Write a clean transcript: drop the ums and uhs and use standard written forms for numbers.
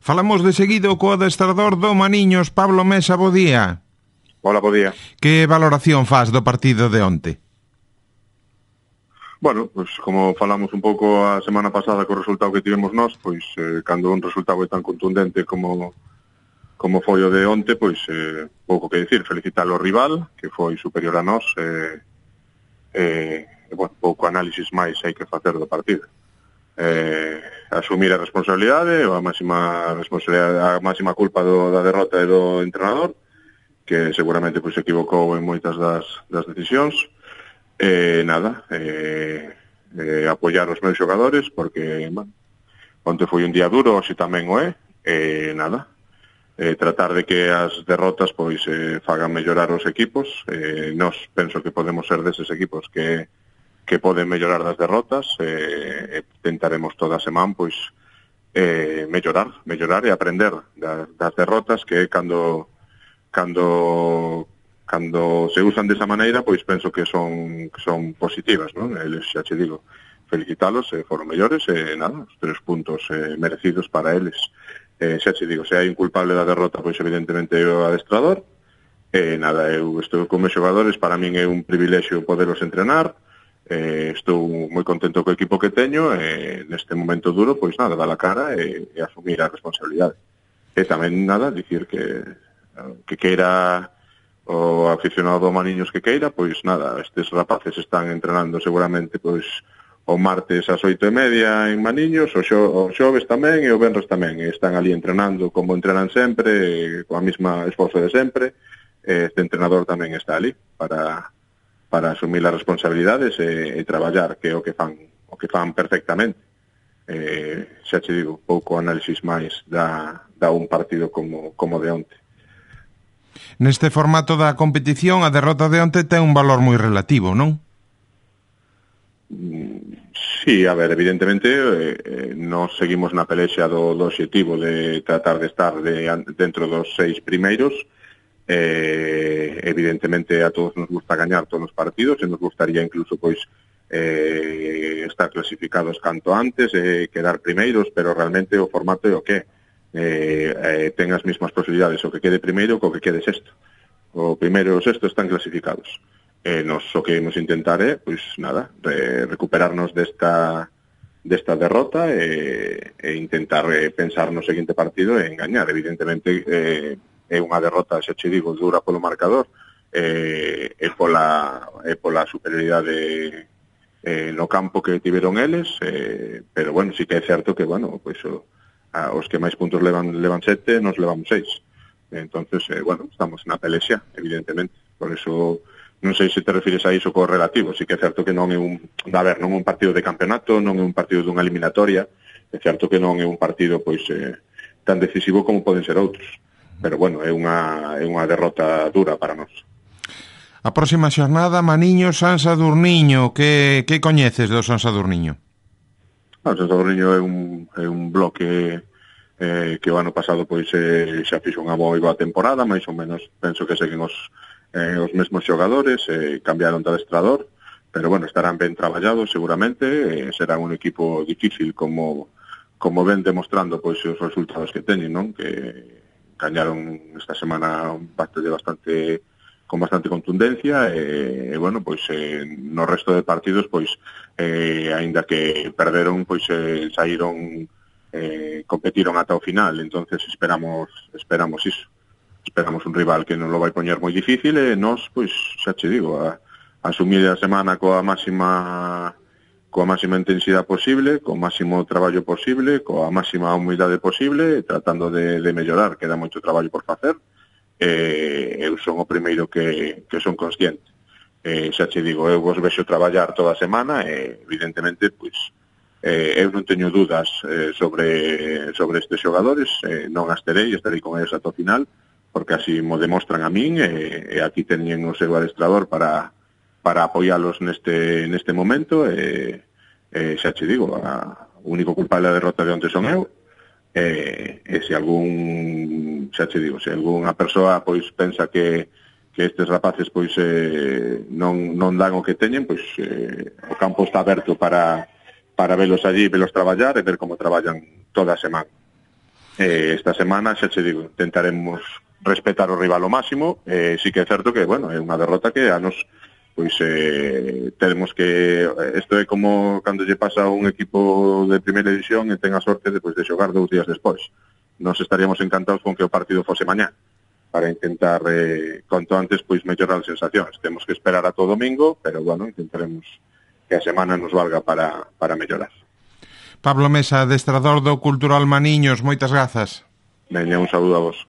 Falamos de seguido co adestrador do Maniños, Pablo Mesa, bo día. Hola, bo día. Que valoración faz do partido de onte? Bueno, pues como falamos un pouco a semana pasada co resultado que tivemos nós, pois cando un resultado é tan contundente como foi o de onte, pois pouco que dicir, felicitar ao rival, que foi superior a nós, bueno, pouco análisis máis hai que facer do partido. Asumir a responsabilidade, a máxima culpa da derrota é do entrenador, que seguramente pois se equivocou en moitas das decisións. Apoiar os meus xogadores, porque bueno, onte foi un día duro, hoxe tamén o é, tratar de que as derrotas pois fagan mellorar os equipos. Nós penso que podemos ser deses equipos que poden mellorar das derrotas, tentaremos toda a semana pois mellorar e aprender das derrotas, que cando se usan desa maneira, pois penso que son positivas, non? Eles, xa che digo, felicitalos, foron mellores, os 3 puntos merecidos para eles. Xa che digo, se hai un culpable da derrota, pois evidentemente é o adestrador. Eu estou con meus xogadores, para min é un privilexio poderos entrenar, estou moi contento co equipo que teño, neste momento duro, pois dar a cara e asumir a responsabilidade. E tamén dicir que queira o aficionado do Maniños que queira, pois estes rapaces están entrenando seguramente pois o martes ás 8:30 en Maniños, o xoves tamén e o venres tamén, e están ali entrenando como entrenan sempre, coa mesma esforzo de sempre. Este entrenador tamén está ali para asumir as responsabilidades e traballar, que é o que fan perfectamente. Xa che digo, pouco análisis máis da un partido como de onte. Neste formato da competición, a derrota de onte ten un valor moi relativo, non? Sí, a ver, evidentemente nós seguimos na pelexa do obxectivo de tratar de estar dentro dos 6 primeiros. Evidentemente a todos nos gusta gañar todos os partidos, e nos gustaría incluso pois estar clasificados canto antes, quedar primeiros, pero realmente o formato é o que ten as mesmas posibilidades o que quede primeiro co que quede sexto. O primeiro e o sexto están clasificados. Nos o que imos intentar é, pois recuperarnos desta derrota e intentar pensar no seguinte partido e gañar. Evidentemente é unha derrota, xa che digo, dura polo marcador, e pola superioridade no campo que tiveron eles, pero bueno, sí que é certo que, bueno, pois os que máis puntos levan 7, nos levamos 6. Entonces, estamos na pelexia, evidentemente. Por eso, non sei se te refires a iso co relativo. Sí que é certo que non é un partido de campeonato, non é un partido dunha eliminatoria. É certo que non é un partido pois tan decisivo como poden ser outros. Pero, bueno, é unha derrota dura para nós. A próxima xornada, Maniños, San Sadurniño. Que coñeces do San Sadurniño? O San Sadurniño é un bloque que o ano pasado pois xa fixo unha moi boa temporada, máis ou menos penso que seguen os mesmos xogadores, cambiaron de adestrador, pero bueno, estarán ben traballados seguramente, serán un equipo difícil como ven demostrando pois os resultados que teñen, non? Que gañaron esta semana un partido con bastante contundencia, e bueno, pois no resto de partidos pois aínda que perderon, pois saíron, competiron ata o final. Entonces esperamos iso. Esperamos un rival que non lo vai poñer moi difícil, e nós, pois, xa che digo, a asumir a semana coa máxima intensidade posible, co máximo traballo posible, coa máxima humildade posible, tratando de mellorar. Queda moito traballo por facer. Eu son o primeiro que son consciente. Xa che digo, eu vos vexo traballar toda a semana e evidentemente pois eu non teño dudas sobre estes xogadores, non as terei, estarei con eles ata o final, porque así mo demostran a min, e aquí teñen o seu adestrador para apoialos neste momento, e xa che digo, o único culpable da derrota de onte son eu. E se algunha persoa pois pensa que estes rapaces pois non dan o que teñen, pois o campo está aberto para velos allí, velos traballar e ver como traballan toda a semana. Esta semana, xa che digo, intentaremos respetar o rival ao máximo. Sí que é certo que, bueno, é unha derrota que a nos pois temos que isto é como cando lle pasa a un equipo de primeira división e ten a sorte de xogar 2 días despois. Nos estaríamos encantados con que o partido fose mañá para intentar cuanto antes pois mellorar as sensacións. Temos que esperar a todo domingo, pero bueno, intentaremos que a semana nos valga para mellorar. Pablo Mesa, adestrador do Cultural Maniños, moitas grazas. Veña, un saúdo a vos.